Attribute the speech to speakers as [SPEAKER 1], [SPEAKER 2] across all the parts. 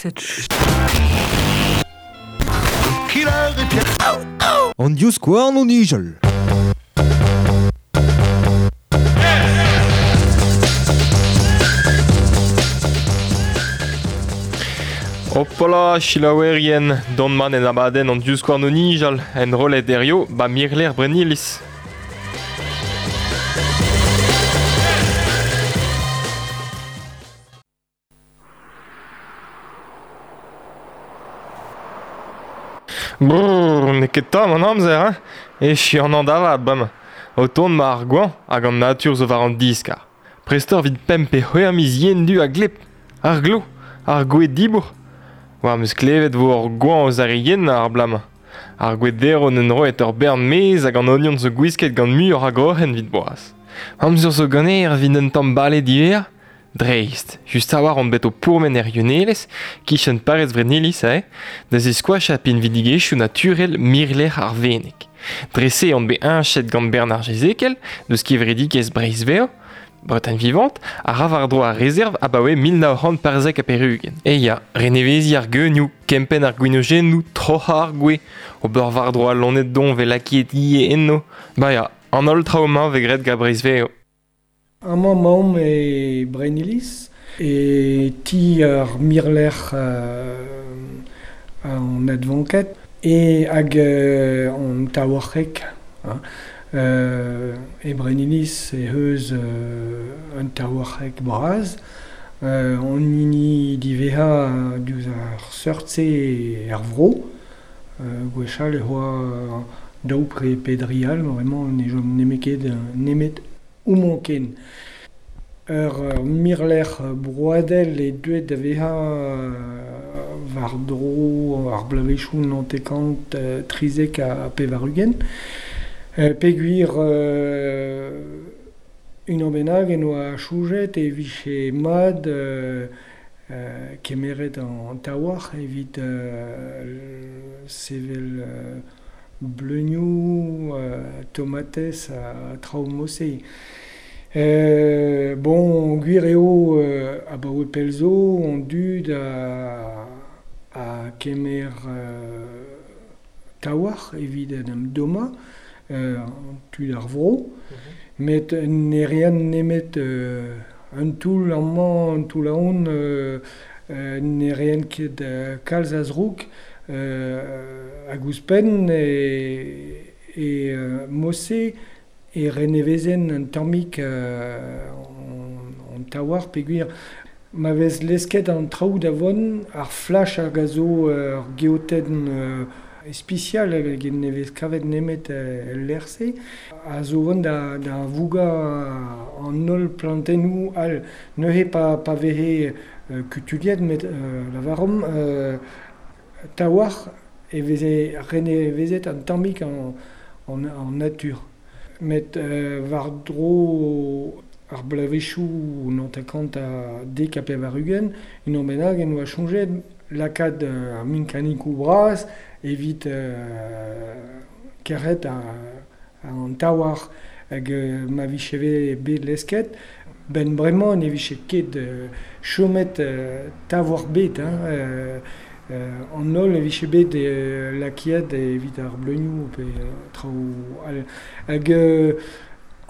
[SPEAKER 1] Cette
[SPEAKER 2] An divskouarn o nijal.
[SPEAKER 3] Hopola, selaouerien, dont man en abadenn an divskouarn o nijal, enrollet hirio ba mirlec'h Brennilis. Brrr, n'eo ket tomm an amzer, hein? Echu an da vat bremañ. O tont ma ar goañv hag an natur zo war an diskar. Prest oc'h evit pemp pe c'hwec'h miz yen-du ha gleb. Ar glav, ar gwez dibourc'h. War 'm eus klevet 'vo ur goañv eus ar re yen ar bloaz-mañ. Ar gwez derv n'en roet ur bern mez hag an ognon zo gwisket gant muioc'h a groc'hen evit boaz. Amzer zo ganeoc'h evit un tamm bale diwezhañ? Dreist, just a-walc'h on bet o pourmen er Yunelez, kichen parrez Vrenilis aze, da ziskoachañ pinvidigezhioù naturel mirlec'h ar Veneg. Dre-se on bet heñchet gant Bernard Jezekel, deus kevredigezh Breizh-Vev, Bretagne Vivante, a ra war-dro ar rezerv abaoe 1975. E ya, reneveziñ ar geunioù, kempenn ar gwinojennoù, troc'hañ ar gwez, ober war-dro al loened doñv 'vez lakaet ivez enno. Ba ya, an holl traoù-mañ 'vez graet gant Breizh-Vev.
[SPEAKER 4] Amañ emaomp e Brenniliz, e ti ar mirlec'h an advanked e hag an taouarc'heg. E Brenniliz eh eus un taouarc'heg bras. An hini diwezhañ diouzh ar seurt-se er vro. Gwechall e oa daou pe dri all, bremañ ne chom nemet ket nemet homañ ken. Ur mirlec'h broadel eo deuet da vezañ war-dro ar bloavezhioù naontek-kant trizek ha pevar-ugent. Peogwir unan bennak en doa soñjet e vije mat kemeret an taouarc'h evit sevel bleunioù, tomatez ha traoù mod-se. Bon, gwir eo abaoe pell zo an dud a kemer taouarc'h evit en em dommañ, tud ar vro. Met ne reent nemet un toull amañ, un toull ahont, ne reent ket kalz a zroug. Hag ouzhpenn e mod-se e renevezen un tammig an taouarc'h peogwir ma vez lesket an traoù da vont, ar flach hag a zo ur geotenn ispisial hag ne vez kavet nemet el lec'h-se, a zo vont da vougañ an holl plantennoù all. Neuze pa veze kutuilhet met lavaromp taouarc'h e veze renevezet un tammig an natur. Met war-dro ar bloavezhioù naontek-kant ha dek ha pevar-ugent, unan bennak en doa soñjet lakaat ar minkanikoù bras evit kerc'hat an taouarc'h hag ma vije bet lesket. 'Benn bremañ ne vije ket chomet taouarc'h bet hein. An holl e vije bet lakaet evit ar bleunioù pe traoù all. Hag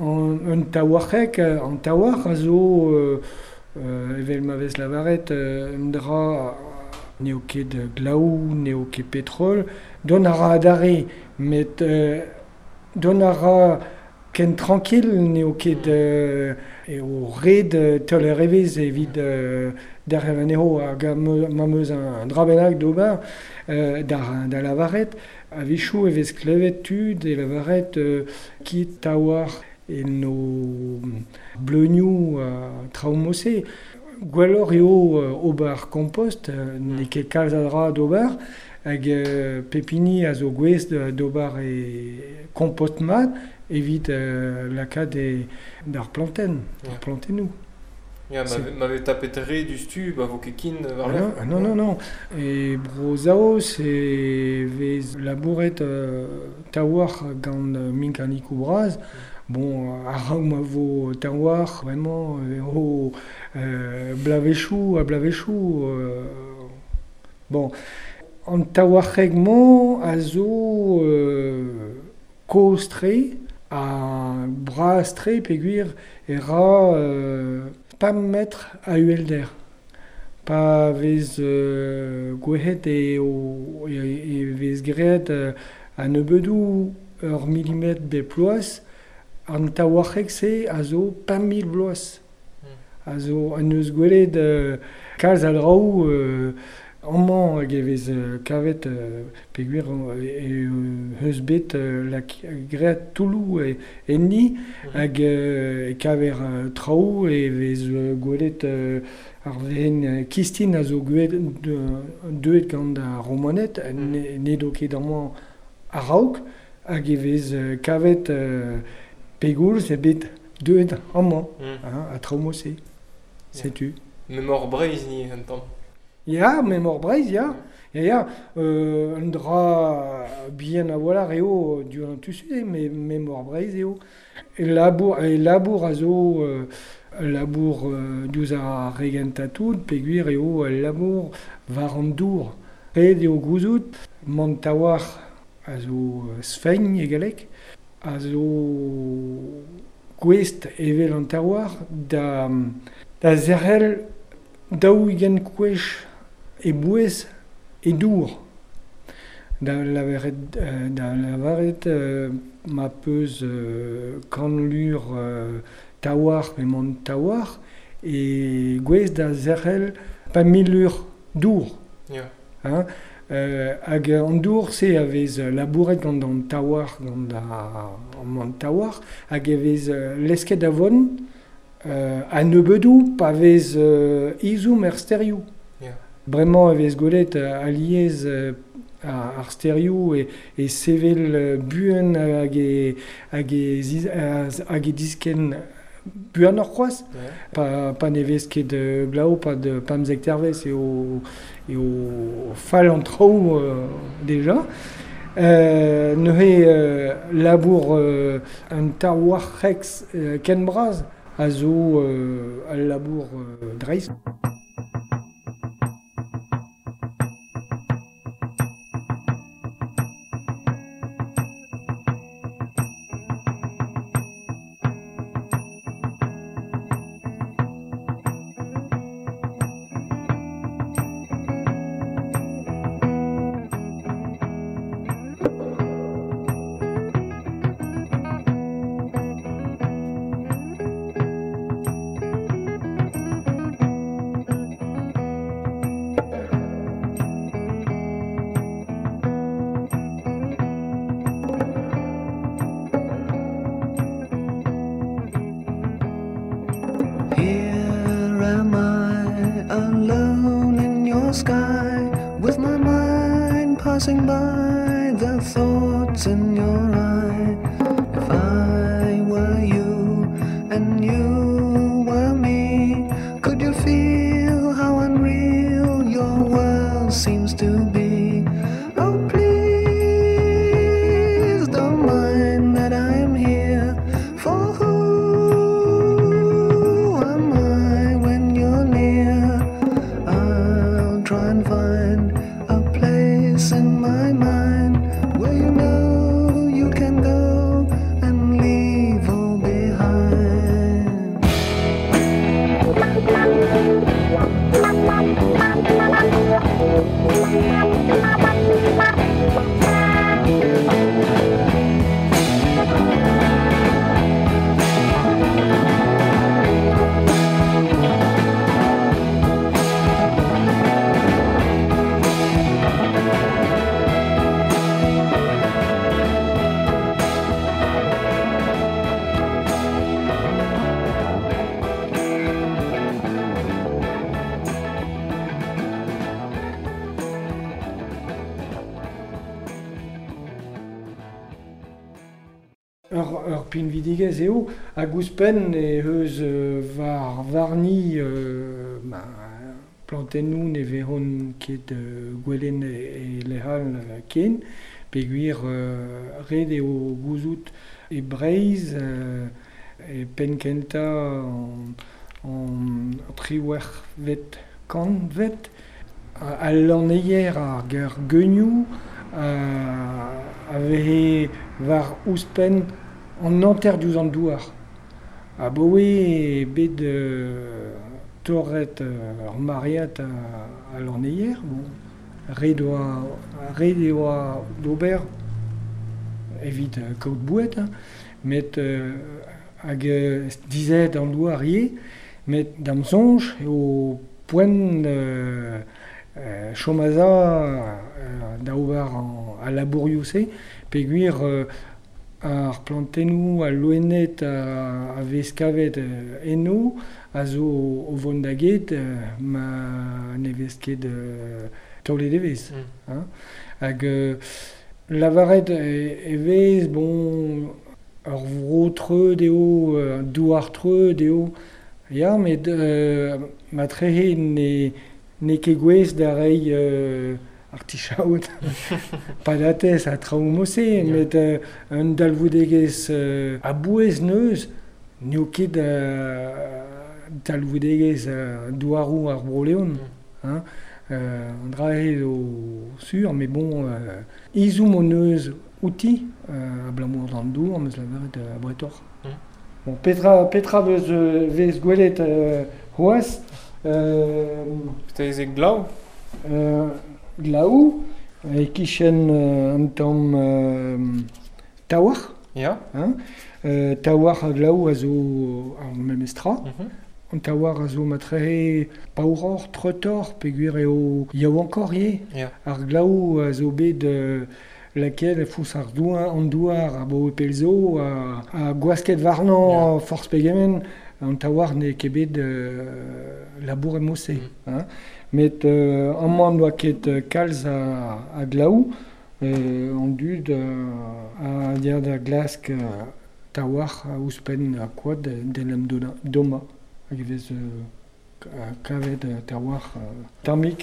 [SPEAKER 4] un taouarc'heg, an taouarc'h a zo evel ma vez lavaret un dra n'eo ket glaou, n'eo ket petrol. Dont a ra adarre, met dont a ra ken trankil n'eo ket eo ret teuler evezh evit derc'hel anezho hag ma 'm eus un dra bennak d'ober da lavaret. A-wechoù e vez klevet tud e lavaret kit taouarc'h en o bleunioù traoù mod-se. Gwelloc'h eo ober kompost, n'eo ket kalz a dra d'ober hag pep hini a zo gouest d'ober e kompost mat evit lakaat d'ar plantenn, ar plantennoù.
[SPEAKER 3] Ya, ma vez tapet re diouzhtu, ba vo ket kin war-lerc'h.
[SPEAKER 4] Non, non, non. E Bro-Saoz e vez labouret taouarc'h gant minkanikoù bras. Bon, a-raok ma vo taouarc'h, vraiment, eo bloavezhioù ha bloavezhioù. Bon, an taouarc'heg-mañ a zo kozh-tre ha bras-tre peogwir e ra 5 metr a uhelder. Pa vez gwelet eo e vez graet a-nebeudoù ur milimetr bep bloaz, an taouarc'heg-se a zo 5000 bloaz. A zo en deus gwelet kalz a draoù amañ hag e vez kavet peogwir eus bet graet toulloù enni hag e kaver traoù e vez gwelet ar wezenn kistin a zo deuet gant ar Romaned n'edo ket amañ a-raok hag e vez kavet pegoulz eo bet deuet amañ ha traoù mod-se. Setu.
[SPEAKER 3] Memor Breizh ni un tamm.
[SPEAKER 4] Ya, memor Breizh, ya. Ya, ya. Un dra bihan a-walc'h eo diouzh an tu-se, met memor Breizh eo. E labour a zo ul labour diouzh ar re gentañ-tout peogwir eo ul labour war an dour. Ret eo gouzout mont trawalc'h a zo sfegn e galleg, a zo gouest evel an taouarc'h da zerc'hel 40 gwech e bouez e dour. Da lavaret ma peus 100 lur taouarc'h pe mont taouarc'h e gouez da zerc'hel 5000 lur dour.
[SPEAKER 3] Yeah.
[SPEAKER 4] Hein? Hag an dour-se a vez labouret gant an taouarc'h, gant an taouarc'h, hag e vez lesket da vont a-nebeudoù pa vez ezhomm er stêrioù.
[SPEAKER 3] Yeah.
[SPEAKER 4] Bremañ e vez gwelet alies ar stêrioù e sevel buan hag e diskenn buanoc'h c'hoazh.
[SPEAKER 3] Yeah.
[SPEAKER 4] Pa ne vez ket glav pad 15 dervezh eo fall an traoù deja. Neuze labour un taouarc'heg ken bras a zo al labour dreist.
[SPEAKER 1] Sky, with my mind passing by the thoughts in your eye. If I were you and you were me, could you feel how unreal your world seems to be? Oh, please don't mind that I'm here, for who am I when you're near? I'll try and find a place in my mind where you know you can go and leave all behind.
[SPEAKER 4] Ur pinvidigezh eo, hag ouzhpenn eh eus war warni plantennoù ne vezont ket gwelet e lec'h all ken, peogwir ret eo gouzout e Breizh e penn-kentañ an 18vet kantved Al lanneier ar ar geunioù a veze war ouzhpenn an hanter diouzh an douar. Abaoe eo bet torret ur maread a lanneier, bon, ret oa ret e oa d'ober evit kaout boued, hein, met hag dizet an douar ivez, met da'm soñj eo poent chom a-za da ober al labourioù-se peogwir ar plantennoù, al loened a vez kavet eno a zo o vont da get ma ne vez ket taolet evezh. Hein. Hag lavaret e vez, bon, ur vro treut eo, un douar treut eo, ya, met matrehe n'eo ket gouest da reiñ artichaod, patatez ha traoù mod-se, met un dalvoudegezh a-bouez neuz n'eo ket talvoudegezh douaroù ar Bro-Leon. Hein. An dra-se zo sur, met bon, ezhomm hon eus outi, abalamour d'an dour, am eus lavaret abretoc'h. Bon, petra vez gwelet c'hoazh?
[SPEAKER 3] Petra ez eo glav?
[SPEAKER 4] Glav, e-kichen un tamm taouarc'h.
[SPEAKER 3] Ya.
[SPEAKER 4] Hein? Taouarc'h ha glav a zo ar memes tra. An taouarc'h a zo matrehe paouroc'h, treutoc'h, peogwir eo yaouankoc'h ivez.
[SPEAKER 3] Ya.
[SPEAKER 4] Ar glav a zo bet lakaet e foñs ar douar, an douar abaoe pell zo, ha gwasket warnañ forzh pegement, an taouarc'h n'eo ket bet labouret mod-se. Hein. Met amañ n'oa ket kalz a glav, an dud a ya da glask taouarc'h ouzhpenn koad d'en em dommañ. Hag e vez kavet taouarc'h tammig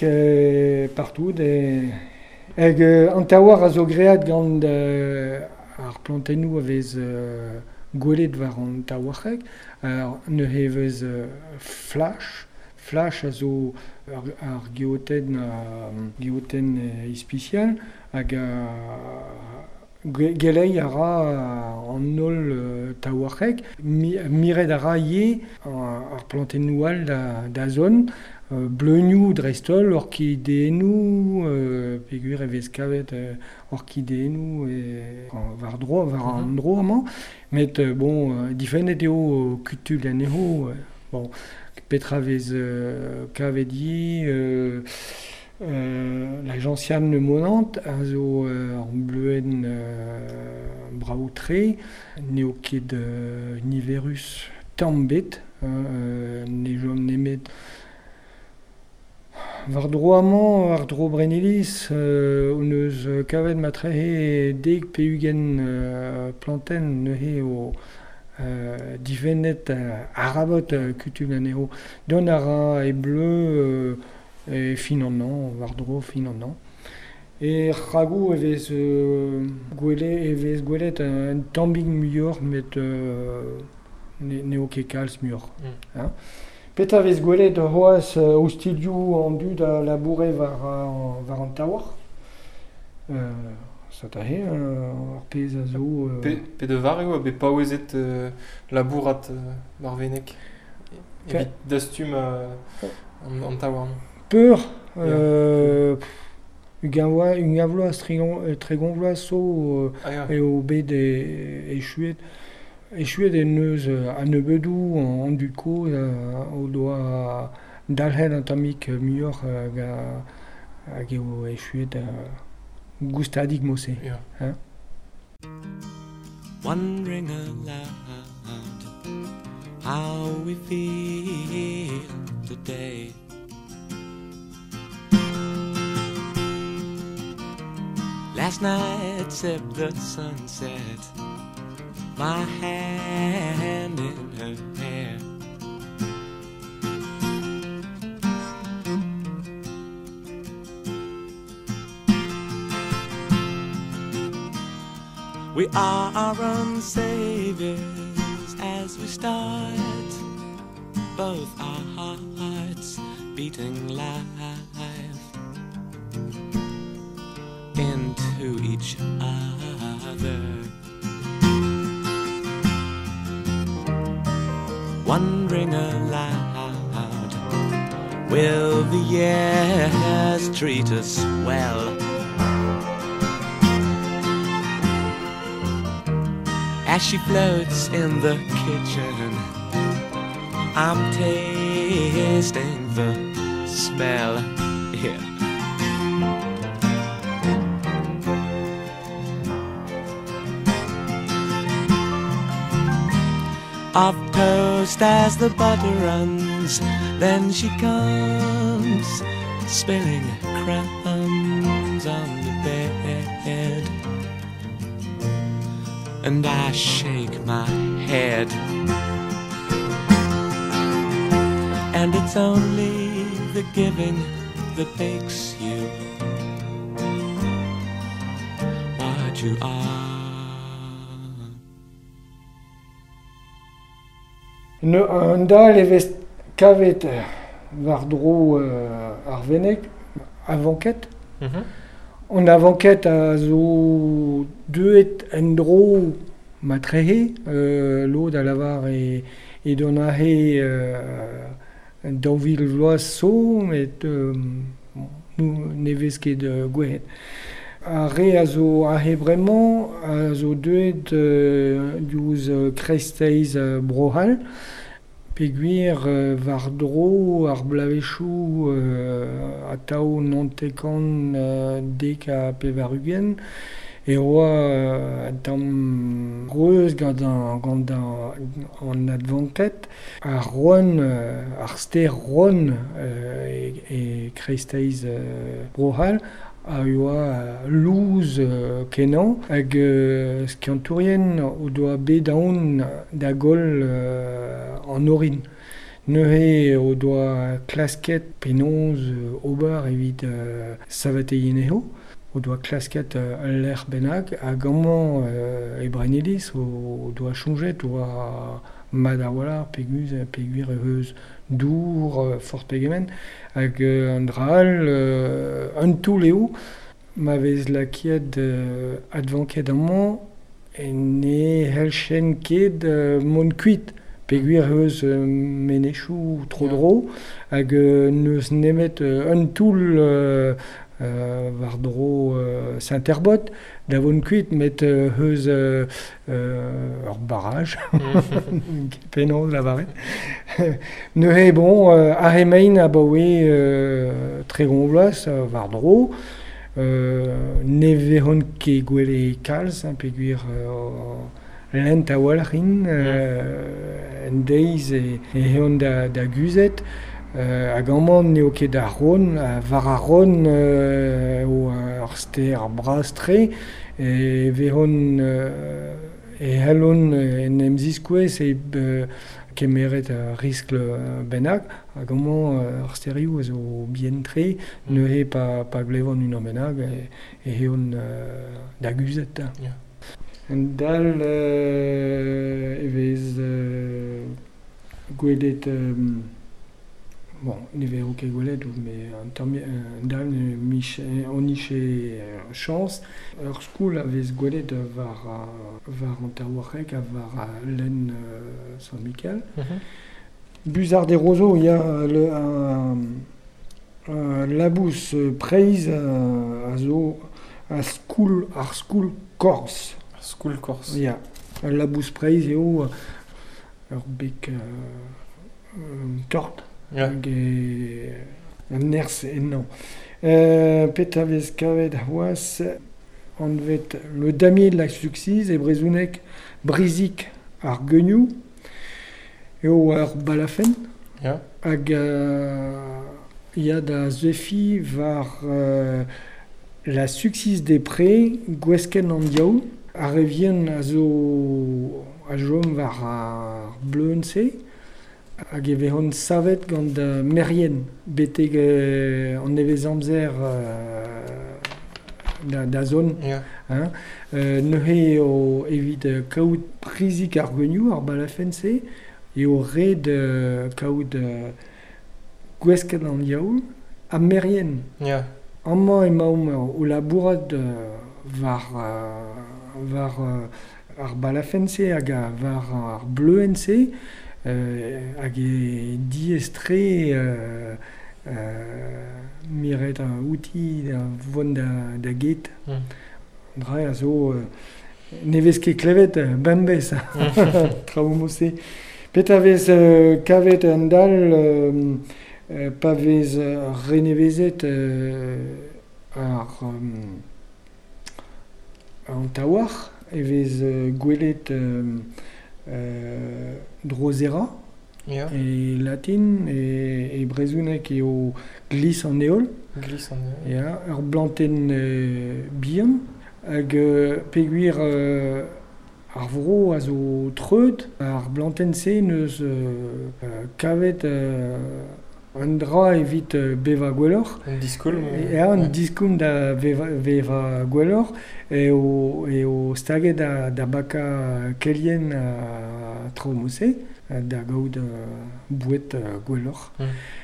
[SPEAKER 4] partout. Hag an taouarc'h a zo graet gant ar plantennoù a vez gwelet war an taouarc'heg. Neuze e vez flach. Flach a zo ar geotenn ispisial hag geleiñ a ra an holl taouarc'heg. Miret a ra ivez ar plantennoù all da zont, bleunioù dreist-holl, orkideennoù, peogwir e vez kavet orkideennoù war-dro, war an dro amañ. Met bon, difennet eo kutul anezho. Bon, petra vez kavet ivez la gentiane monante a zo ur bleuenn brav-tre, n'eo ket niverus tamm ebet, ne chom nemet war-dro amañ, war-dro Brenniliz, hon eus kavet matrehe dek pe ugent plantenn neuze eo difennet arabat kutum anezho. Dont a ra e bleu e fin an hañv, war-dro fin an hañv. E ragoù e vez gwelet un tammig muioc'h, met n'eo ket kalz muioc'h. Hein. Petra vez gwelet c'hoazh ostilhoù an dud a laboure war an taouarc'h? Set aze ar pezh a zo...
[SPEAKER 3] Pe da vare eo bet paouezet labourat war Veneg evit dastum an taouarn?
[SPEAKER 4] Peur, ugent vloaz, 30 vloaz zo eo bet echuet. Echuet en deus a-nebeudoù an dud kozh o doa dalc'het un tammig muioc'h hag eo echuet goustadik mod-se. Hein.
[SPEAKER 1] Wondering aloud how we feel today. Last night sipped the sunset, my hand in her hair. We are our own saviors as we start, both our hearts beating live.
[SPEAKER 5] into each other. Wondering aloud, will the years treat us well? As she floats in the kitchen, I'm tasting the smell. Yeah. Of toast as the butter runs, then she comes, spilling crumbs on the bed. And I shake my head. And it's only the giving that makes you what you are.
[SPEAKER 4] Un dal e vez kavet war-dro ar Veneg, avanket. An avanket a zo deuet en-dro matrehe, lod a lavar e don ahe daou vil vloaz so, met ne vez ket gwelet. Ar re a zo ahe bremañ a zo deuet diouzh kreisteiz Bro-C'hall, peogwir war-dro ar bloavezhioù atav naontek-kant dek ha pevar-ugent e oa un tamm reuz gant an advanked. Ar Ron, ar stêr Ron e kreisteiz Bro-C'hall a oa louz kenañ hag skiantourien o doa bet aon da goll an orin. Neuze o doa klasket penaos ober evit saveteiñ anezho. O doa klasket ul lec'h bennak hag amañ e Brenniliz o doa soñjet oa mat a-walc'h peogwir eus dour forzh pegement hag an dra all un toull eo ma vez lakaet advanket amañ ne c'helljen ket mont kuit peogwir eus menezioù tro-dro hag n'eus nemet un toull war-dro Saint-Herbot da vont kuit met eus ur barrage penaos lavaret. Neuze bon ar emaint abaoe 30 vloaz war-dro ne vezont ket gwelet kalz peogwir lent a-walc'h int en deiz e eont da guzhet. Hag amañ n'eo ket ar Ron, war ar Ron eo ar stêr bras-tre e vezont e c'hellont en em ziskouez e kemeret ar riskl bennak hag amañ ar stêrioù a zo bihan-tre neuze pa glevont unan bennak e eont da guzhet. Un dal e vez gwelet bon, ne vezo ket gwelet, mais un tamm dal on nije chañs. Ur skoul a vez gwelet war an Terwarek ha war lenn Sant-Mikel. Buzard e Rozo, il y a un labous preizh a zo a skoul, ar skoul korz.
[SPEAKER 3] Ar skoul korz.
[SPEAKER 4] Ya, ul labous preizh eo ur beg tort. Hag an nerzh ennañ. Petra vez kavet c'hoazh anvet le damier de la Suxiz e brezhoneg brizik ar geunioù eo ar balafenn. Hag ya da zefiñ war la Suxiz des Prés gweskenn an diaoul. Ar re vihan a zo a chom war ar bleun-se. Hag e vezont savet gant merien betek an nevez-amzer da zon. Hein. Neuze eo evit kaout prizik ar geunioù, ar balafenn-se, eo ret kaout gweskenn an diaoul ha merien. Amañ emaomp o labourat war war ar balafenn-se hag war ar bleuenn-se hag e diaes-tre miret outi da vont da get. Dra a zo ne vez ket klevet bemdez traoù mod-se. Petra vez kavet an dal pa vez renevezet ar an taouarc'h e vez gwelet drozera e latin, e brezhoneg eo glis an heol.
[SPEAKER 3] Glis an heol.
[SPEAKER 4] Ya, ur blantenn bihan hag peogwir ar vro a zo treut, ar blantenn-se n'eus kavet un dra evit bevañ gwelloc'h.
[SPEAKER 3] Un diskoulm.
[SPEAKER 4] Ya, un diskoulm da vevañ gwelloc'h eo staget da bakañ kelien ha traoù mod-se, da gaout boued gwelloc'h.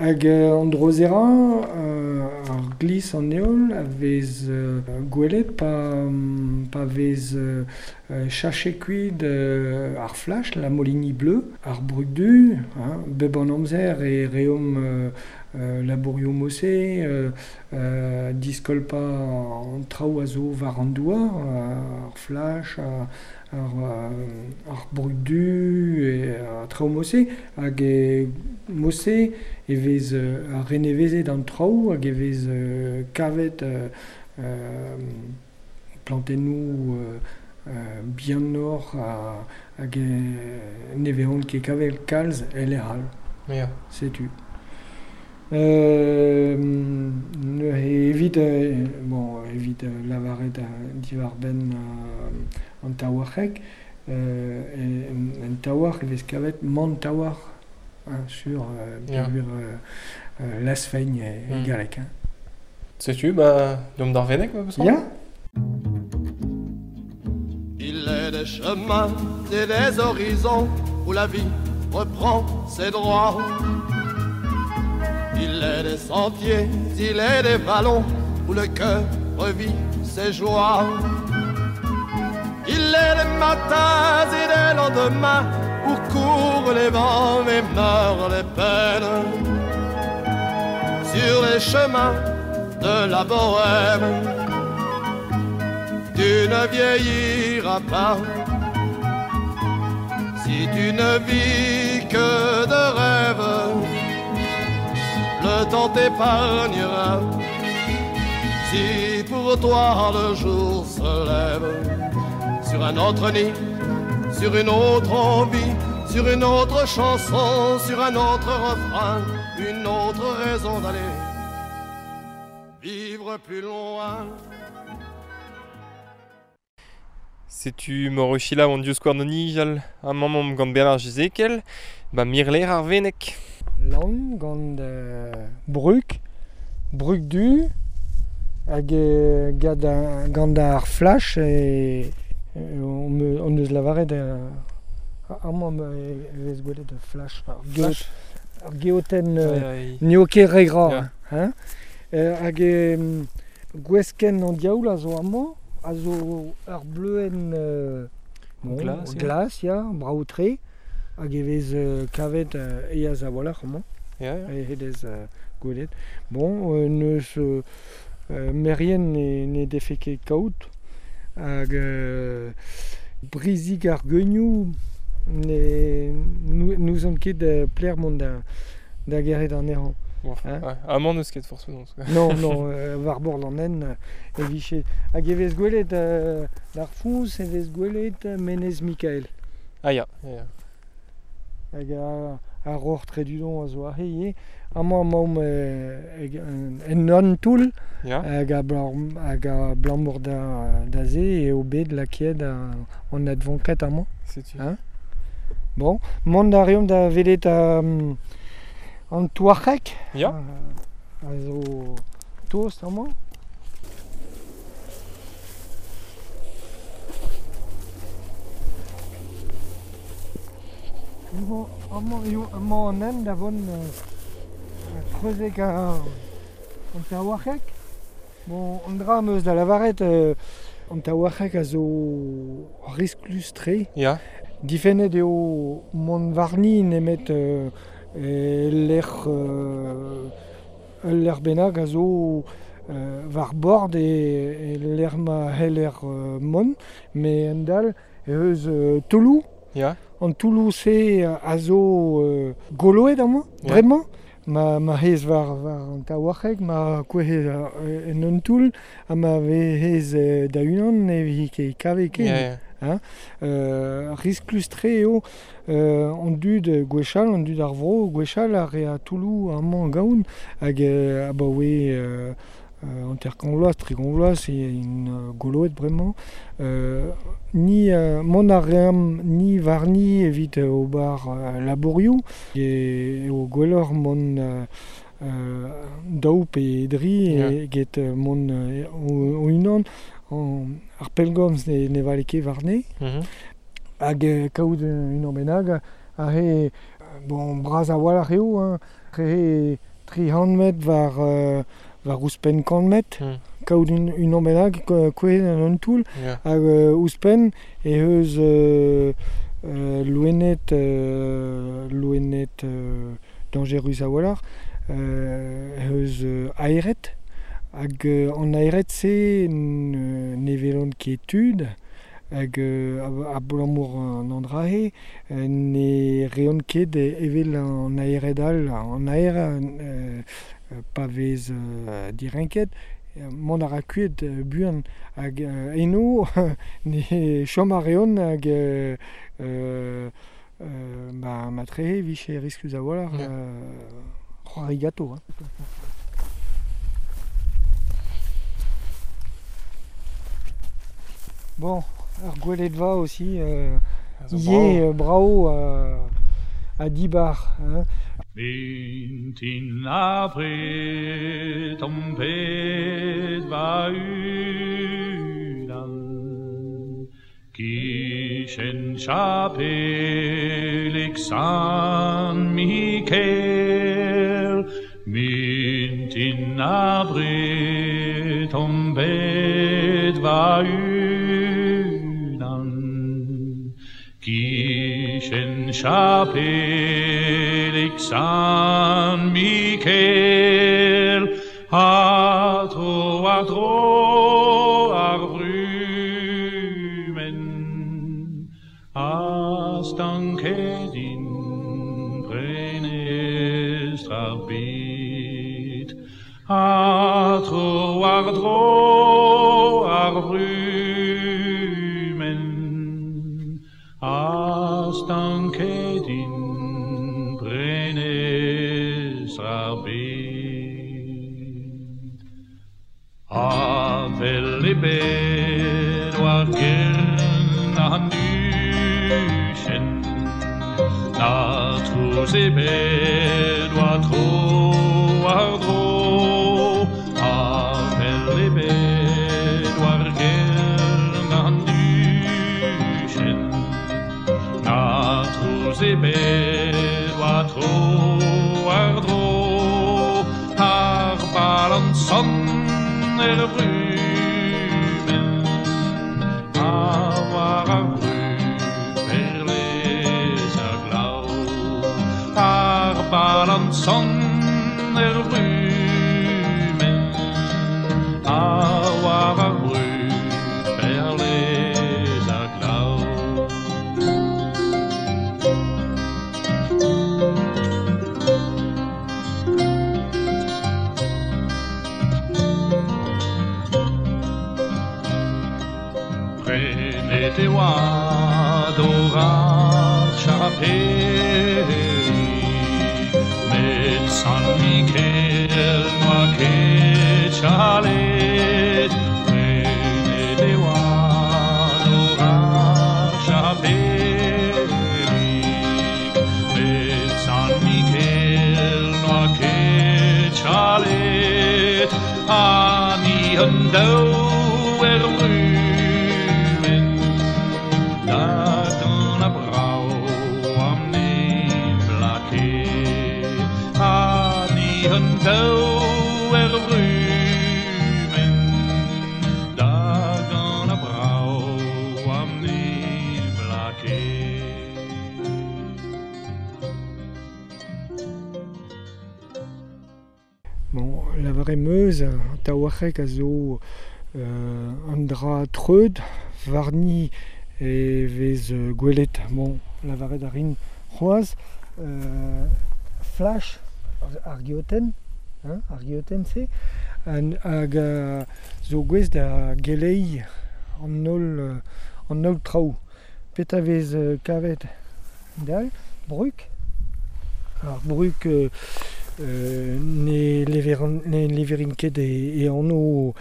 [SPEAKER 4] Hag an drozera, ar glizh an heol a vez gwelet pa vez chachet kuit ar flach, la molinie bleue, ar brug du, hein, bep an amzer e reomp labourioù mod-se, diskolpañ an traoù a zo war an douar, ar flach, ar brug du, e traoù mod-se, hag e mod-se e vez renevezet an traoù hag e vez kavet plantennoù bihanoc'h hag ne vezont ket kavet kalz e lec'h all.
[SPEAKER 3] Ya.
[SPEAKER 4] Setu. Evit bon, evit lavaret diwar-benn an taouarc'heg, en taouarc'h e vez kavet man taouarc'h, hein, sur peogwir lasfeign e galleg. Hein.
[SPEAKER 3] Setu, ba, deomp d'ar Veneg, ma peus
[SPEAKER 4] Ya.
[SPEAKER 6] Il est des chemins et des horizons où la vie reprend ses droits. Il est des sentiers, il est des vallons où le cœur revit ses joies. Il est des matins et des lendemains où courent les vents et meurent les peines. Sur les chemins de la bohème, tu ne vieilliras pas si tu ne vis que de rêves. Le temps t'épargnera si pour toi le jour se lève. Sur un autre nid, sur une autre envie, sur une autre chanson, sur un autre refrain, une autre raison d'aller vivre plus loin.
[SPEAKER 3] Setu Morochila an diouzh skouarn nijal ha mamm gant Bernard Jezekel, ba mirler ar Veneg.
[SPEAKER 4] Lann gant brug, brug du, hag gant ar flash e on eus lavaret amañ e vez gwelet ar flash. Ar geotenn n'eo ket re gra. Hein? Hag gweskenn an diaoul a zo amañ, a zo ur bleuenn glas, ya, brav-tre, hag e vez kavet eaz a-walc'h amañ, e hedez gwelet. Bon, n'eus merien ne defe ket kaout, hag brizik ar geunioù n'ouzon ket plec'h mont da gerc'het anezhañ.
[SPEAKER 3] Hein? Amañ n'eus ket forzh penaos.
[SPEAKER 4] Non, non, war bord an hent e vije. Hag e vez gwelet d'ar foñs e vez gwelet Menez Mikael.
[SPEAKER 3] Ah ya, ya.
[SPEAKER 4] Hag ar roc'h Tredudon a zo aze ivez. Amañ emaomp en un toull hag abalamour da se eo bet lakaet an advonkad amañ.
[SPEAKER 3] Setu.
[SPEAKER 4] Hein? Bon, mont a reomp da welet an touarc'heg.
[SPEAKER 3] Ya.
[SPEAKER 4] A zo tost amañ. Amañ an hent da vont treuzek an taouarc'heg. Bon, an dra am eus da lavaret, an taouarc'heg a zo risklus-tre.
[SPEAKER 3] Ya.
[SPEAKER 4] Difennet eo mont warni nemet lec'h ul lec'h bennak a zo war bord e lec'h ma c'heller mont, met en-dal eus toulloù.
[SPEAKER 3] Ya.
[SPEAKER 4] An toulloù-se a zo goloet amañ, bremañ. Ma hez war an taouarc'heg, ma kouezhez en un toull, ha ma vez da-unan ne vi ket kavet ken.
[SPEAKER 3] Yeah, yeah.
[SPEAKER 4] Hein? Risklus-tre eo an dud gwechall, an dud ar vro gwechall a rea toulloù amañ gaon, hag abaoe hanter-kant vloaz, 30 vloaz, int goloet bremañ. Ni mont a reomp ni warni evit ober labourioù, eo gwelloc'h mont daou pe dri eget mont o-unan. Ar pellgomz ne vale ket warne. Hag kaout unan bennak a re, bon, bras a-walc'h eo, hein, re 300 metr war ouzhpenn 100 metr, kaout unan bennak kouezhet en un toull, hag ouzhpenn eh eus loened dañjerus a-walc'h, eh eus aered, hag an aered-se ne welont ket tud, hag abalamour an andrahe ne reont ket evel an aered all, an aer pa vez direnket, mont a ra kuit buan, hag eno ne chom a reont hag ma trehe vije risklus a-walc'h c'hoari ganto. Hein. Bon, ar gweledva aussi, ivez brao ha dibar. Hein.
[SPEAKER 7] Mintin abred om bet va unan, kichen chapelig San Mikel. Mintin abred om bet va unan, kichen chapelig San Mikel, ha tro war dro ar vrumenn, a stanket in prenestr ar bed, ha tro war dro ar vrumenn, a stanket in prenestr ar bed. Avel ebet war gern an duchenn, na trouz ebet war tro war dro. Avel ebet war gern an duchenn, na trouz ebet war tro war dro. Ar balanson er brumenn, ha war ar bru perlez ar glav. Ar balanson er brumenn, ha war ar bru perlez ar glav. Prenet e oa d'or ar chapelig, met San Mikel n'oa ket chalet. Prenet e oa d'or ar chapelig, met San Mikel n'oa ket chalet. Ha ni an daou er vrumenn, da gant a brao am ne blake. Ha ni an daou er vrumenn,
[SPEAKER 4] Bon, lavaret meus, an taouarc'heg a zo an dra treud, warni e vez gwelet, bon, lavaret a rin c'hoazh, flash ar geotenn, hein, ar geotenn-se, hag zo gouest da geleiñ an holl traoù. Petra vez kavet dal? Brug. Ar brug ne leverin ket e anv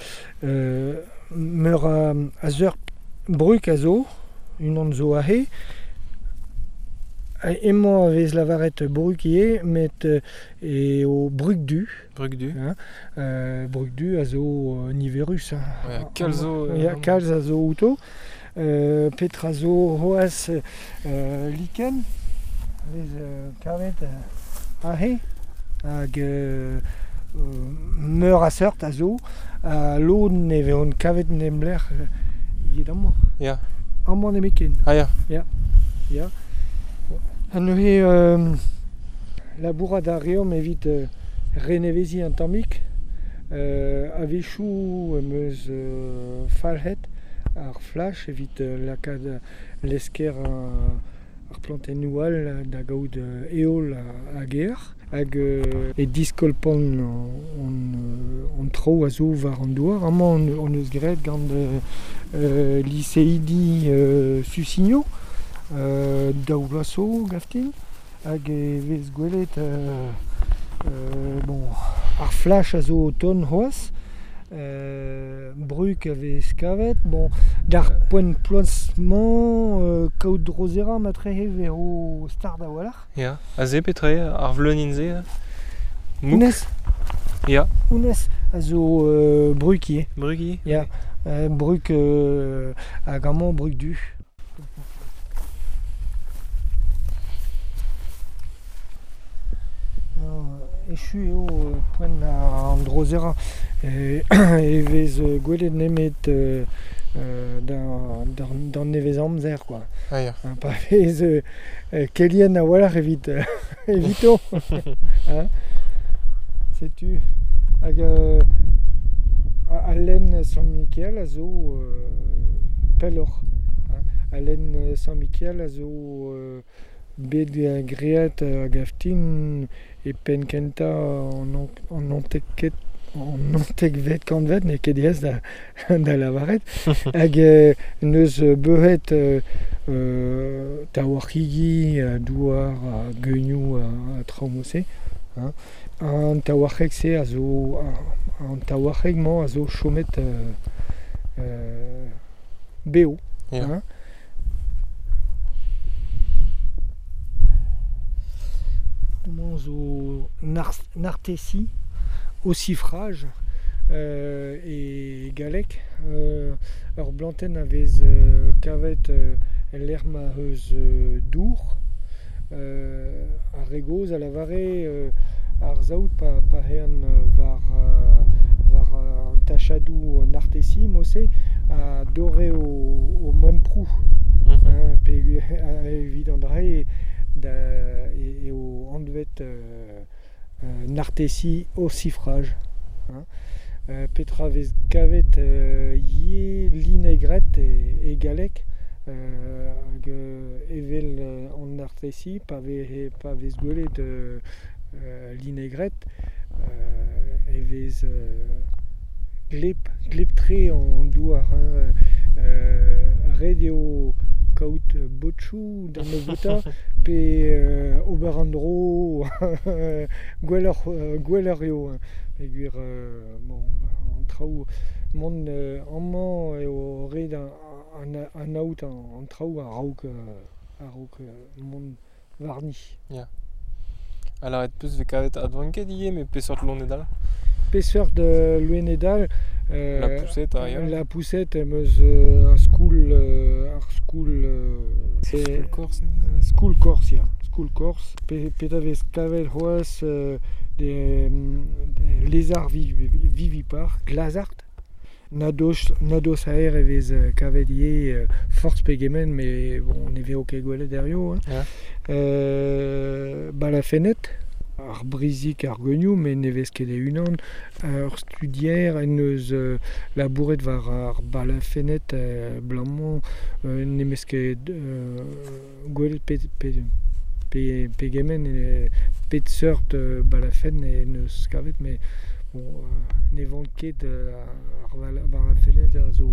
[SPEAKER 4] meur a seurt brug a zo, unan zo aze. Emañ a vez lavaret brug ivez, met eo brug du.
[SPEAKER 3] Brug du.
[SPEAKER 4] Hein, brug du a zo niverus. Hein.
[SPEAKER 3] Ouais, kalz zo.
[SPEAKER 4] Ya, kalz a zo outo. Petra zo c'hoazh liken, vez kavet aze, hag meur a seurt a zo, ha lod ne vezont kavet nemlec'h evit amañ.
[SPEAKER 3] Ya.
[SPEAKER 4] Amañ nemetken.
[SPEAKER 3] Ah ya.
[SPEAKER 4] Ya. Ya. Ha neuze labourat a reomp evit reneveziñ an tammig. A-wechoù em eus falc'het ar flash evit lakaat lesker ar plantennoù all da gaout heol hag aer. Hag e diskolpan an traoù a zo war an douar. Amañ on eus graet gant liseidi Susinio, daou vloaz zo gaftin, hag e vez gwelet bon, ar flash a zo o tont c'hoazh, brug a vez kavet, bon, d'ar poent ploaz-mañ kaout drozera matrehe vezo start a-walc'h.
[SPEAKER 3] Ya, aze petra eo ar vleunin-se? Mouk.
[SPEAKER 4] Honnezh.
[SPEAKER 3] Ya.
[SPEAKER 4] Honnezh a zo brug ivez.
[SPEAKER 3] Brug ivez?
[SPEAKER 4] Ya, brug hag amañ brug du. Echu eo poent an drozera e vez gwelet nemet d'an nevez amzer quoi.
[SPEAKER 3] Ah ya.
[SPEAKER 4] Pa vez kelien a-walc'h evit evito. Hein? Setu hag al lenn Sant-Mikael a zo pelloc'h. Al lenn Sant-Mikael a zo bet graet hag aftin e penn kentañ an naontekvet kantved, n'eo ket aes da lavaret, hag neus beuhet taouarc'higi, douar, geunioù ha traoù mod-se. An taouarc'heg-se a zo, an taouarc'heg-mañ a zo chomet bev.
[SPEAKER 3] Yeah.
[SPEAKER 4] Mañ zo nartesi, ossifrage e galleg. Ur blantenn a vez kavet el lec'h ma eus dour. Ar re gozh a lavare ar saout pa ehan war an tachadoù nartesi mod-se a dorre o memproù. Pe evit an dra-se eo anvet nartesi ossifrage. Petra vez kavet ivez linegret e galleg hag evel an nartesi pa vez gwelet linegret e vez gleb-tre an douar. Ret eo kaout botchoù d'an nebeutañ pe ober an dro gwelloc'h eo. Peogwir bon, an traoù mont amañ eo ret anaout an traoù a-raok mont warni.
[SPEAKER 3] Ya. Ha lâret peus vez kavet advanket ivez, met peseurt loened all?
[SPEAKER 4] Peseurt loened all?
[SPEAKER 3] La poussette, ha ya.
[SPEAKER 4] La poussette em eus ar skoul... ar skoul...
[SPEAKER 3] Skoul Corse?
[SPEAKER 4] Skoul Corse, ya. Skoul Corse. Petra vez kavet c'hoazh des lézards vivipar, glazart. Nados aer e vez kavet ivez forzh pegement, met bon, ne vezo ket gwelet herrio.
[SPEAKER 3] Yeah.
[SPEAKER 4] Balafenned, ar brizik ar geunioù, met ne vez ket e-unan. Ur studier en deus labouret war ar balafenned blamañ n'em eus ket gwelet pegement pet seurt balafenn en deus kavet, met bon, ne vank ket ar balafenned a zo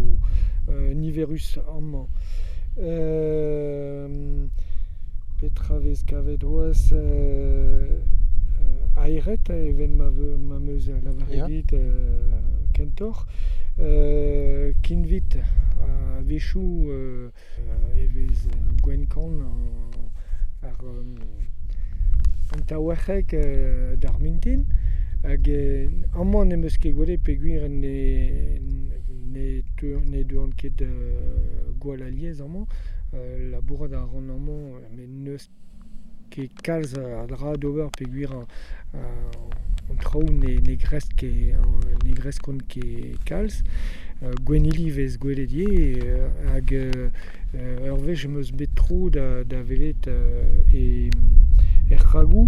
[SPEAKER 4] niverus amañ. Petra vez kavet c'hoazh aeret evel ma 'm eus lavaret dit kentoc'h. Kinvit a-wechoù e vez gwenn-kann an taouarc'heg d'ar mintin. Hag amañ n'em eus ket gwelet peogwir ne deuan ket gwall alies amañ. Labourat a ran amañ met n'eus ket kalz a dra d'ober peogwir an traoù ne gresk ket ne greskont ket kalz. Gwennili 'vez gwelet ivez hag ur wech em eus bet tro da welet er c'hragoù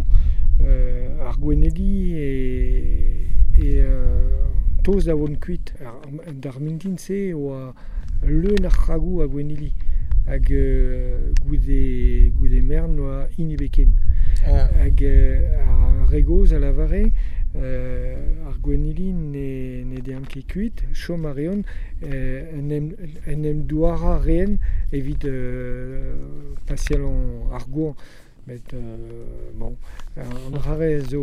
[SPEAKER 4] ar gwennili e tost da vont kuit. D'ar mintin-se e oa leun ar c'hragoù a gwennili. Hag goude mern oa hini ebet ken. Hag ar re gozh a lavare ar gwennili ne deant ket kuit, chom a reont en em douarañ a reent evit paseal ar goañv. Met bon, an dra-se zo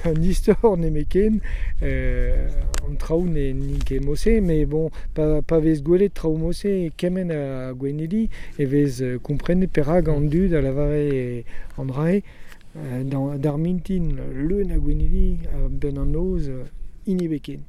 [SPEAKER 4] un istor nemetken, an traoù n'int ket mod-se, met bon, pa vez gwelet traoù mod-se kement a gwennili e vez komprenet perak an dud a lavare an dra-se d'ar mintin leun a gwennili a-benn an noz hini ebet ken.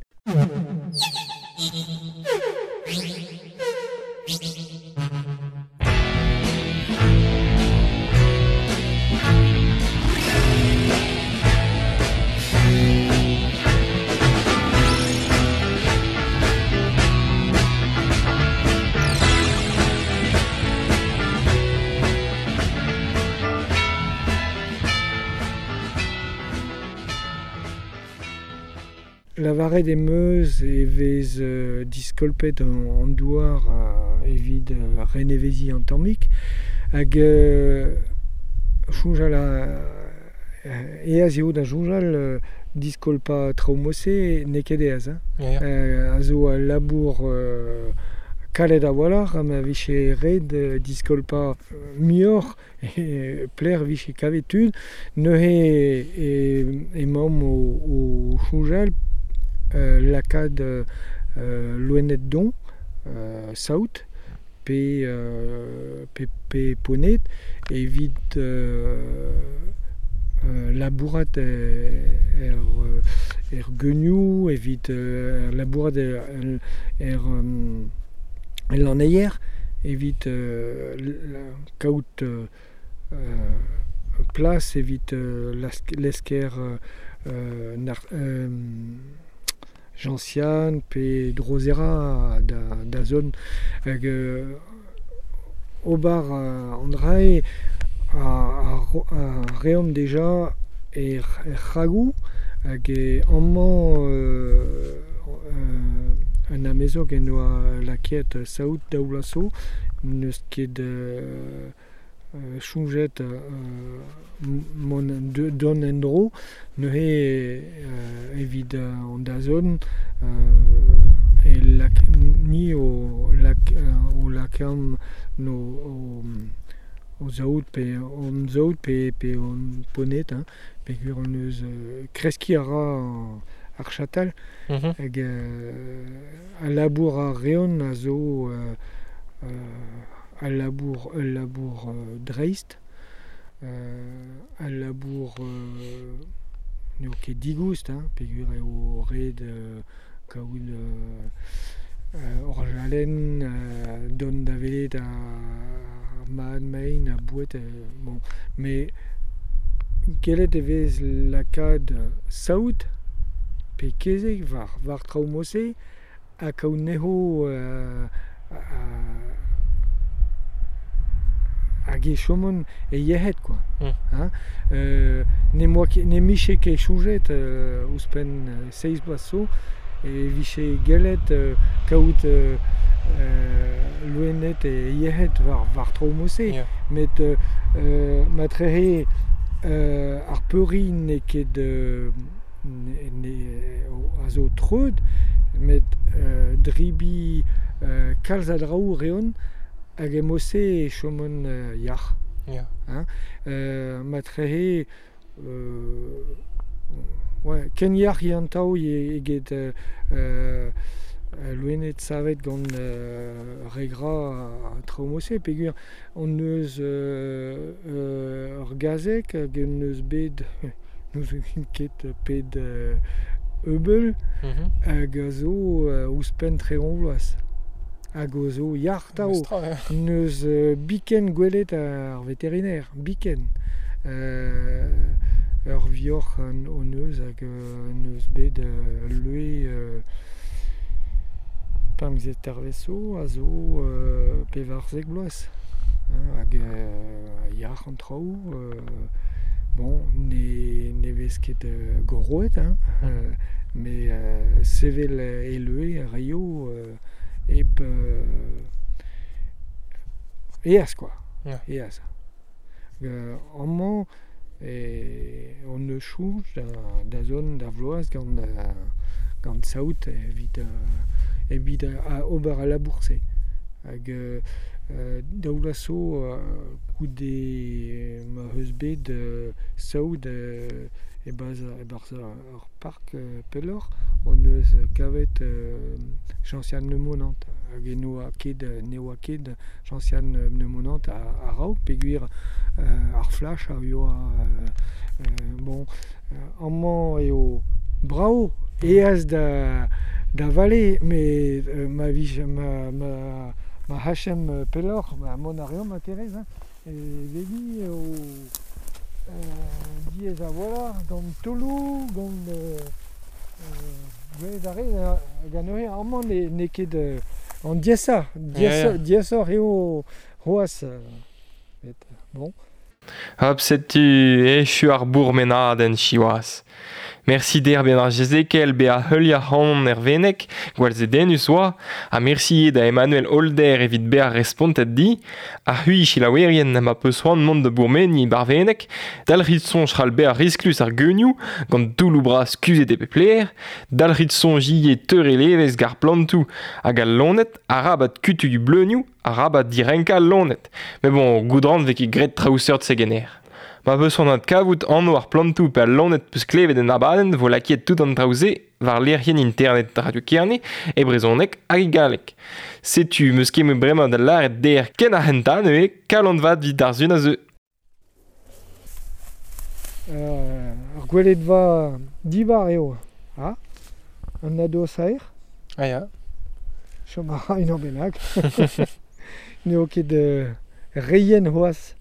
[SPEAKER 4] Lavaret em eus e vez diskolpet an douar evit reneveziñ an tammig hag soñjal aes eo da soñjal diskolpañ traoù mod-se n'eo ket aes. A zo al labour kalet a-walc'h ha ma vije ret diskolpañ muioc'h pelec'h vije kavet tud. Neuze emaomp o soñjal lakaat loened don, saout pe poned evit labourat er geunioù, evit labourat er lanneier, evit kaout plas evit lesker Gentian pe Drosera da zont hag ober an dra-se a reomp deja er c'hragoù hag amañ un amezog en doa lakaet saout daou vloaz zo n'eus ket soñjet mont dont en-dro neuze evit an dazont e ni o lakaomp o saout pe hon saout pe hon poned peogwir hon eus kreskiñ a ra ar chatal hag al labour a reont a zo al labour dreist, al labour n'eo ket digoust, peogwir eo ret kaout orjalenn, dont da welet ar mat-mein ha boued. Bon. Met gellet e vez lakaat saout pe kezeg war traoù mod-se ha kaout anezho Hag e chomont e yec'hed quoi. Hein? Ne moa ket, ne miche ket soñjet ouzhpenn seizh bloaz zo e vije gellet kaout loened e yec'hed war, war traoù mod-se.
[SPEAKER 3] Ya.
[SPEAKER 4] Met matrehe ar peuriñ n'eo ket ne, a zo treut, met dribi kalz a draoù reont hag e mod-se e chomont yac'h.
[SPEAKER 3] Ya.
[SPEAKER 4] Hein? Matrehe ouais, ken yac'h eo an taol eget loened savet gant re gra ha traoù mod-se peogwir hon eus ur gazeg hag hon eus bet n'ouzon ket pet ebeul hag a zo ouzhpenn 30 vloaz. Hag a zo yac'h tav.
[SPEAKER 3] Mestra, ya.
[SPEAKER 4] N'eus biken gwelet ar veterinaire, biken. Ur vioc'h hon eus hag n'eus bet ul leue 15 tervezh zo a zo 14 vloaz. Hein, hag yac'h an traoù. Bon, ne, ne vez ket goroet, hein, met sevel e leue a raio hep eas quoi.
[SPEAKER 3] Ya.
[SPEAKER 4] Eas. Amañ hon eus soñj da, da zont da vloaz gant, gant saout evit, evit ober al labour-se. Hag daou vloaz zo goude ma eus bet saout e-barzh e-barzh ur park pelloc'h hon eus kavet Gentiane Lemonant hag e n'oa ket ne oa ket Gentiane Lemonant a-raok peogwir ar flash a yoa bon amañ eo brav aes da da vale met ma vije ma ma ma c'hachemp pelloc'h ma mont a reomp ma kerez hein e veli eo diaes a-walc'h gant taoloù gant gwelet a rez hag anezhe amañ n'eo ket an diaesañ
[SPEAKER 3] Ya, ya.
[SPEAKER 4] diaesoc'h eo c'hoazh met bon.
[SPEAKER 3] Hop, setu echu ar bourmenadenn siwazh. Mersi der ben ar Jezekel be a heuliañ ac'hanon er Veneg, gwall zedennus oa, ha mersi da Emmanuel Holder evit bezañ respontet di, ha c'hwi selaouerien ma peus c'hoant mont da bourmeniñ bar Veneg, dalc'hit soñj c'hall bezañ risklus ar geunioù, gant toulloù bras kuzhet e pep lec'h, dalc'hit soñj ivez teurel evezh gant ar plantoù hag al loened, arabat kutuilh bleunioù, arabat direnkañ al loened. Met bon, goudran vez ket graet traoù seurt-se ganer. Ma peus c'hoant adkavout anv ar plantoù pe al loened peus klevet en abadenn vo lakaet tout an traoù-se war lec'hienn internet Radio Kerne e brezhoneg hag e galleg. Setu meus ket me bremañ da lâret der ken ar c'hentañ neuze kalon vat evit ar sun a zeu.
[SPEAKER 4] Ur gweledva dibar eo, ha? An nadoz-aer.
[SPEAKER 3] Ah ya.
[SPEAKER 4] Chom a ra unan bennak. N'eo ket reien c'hoazh.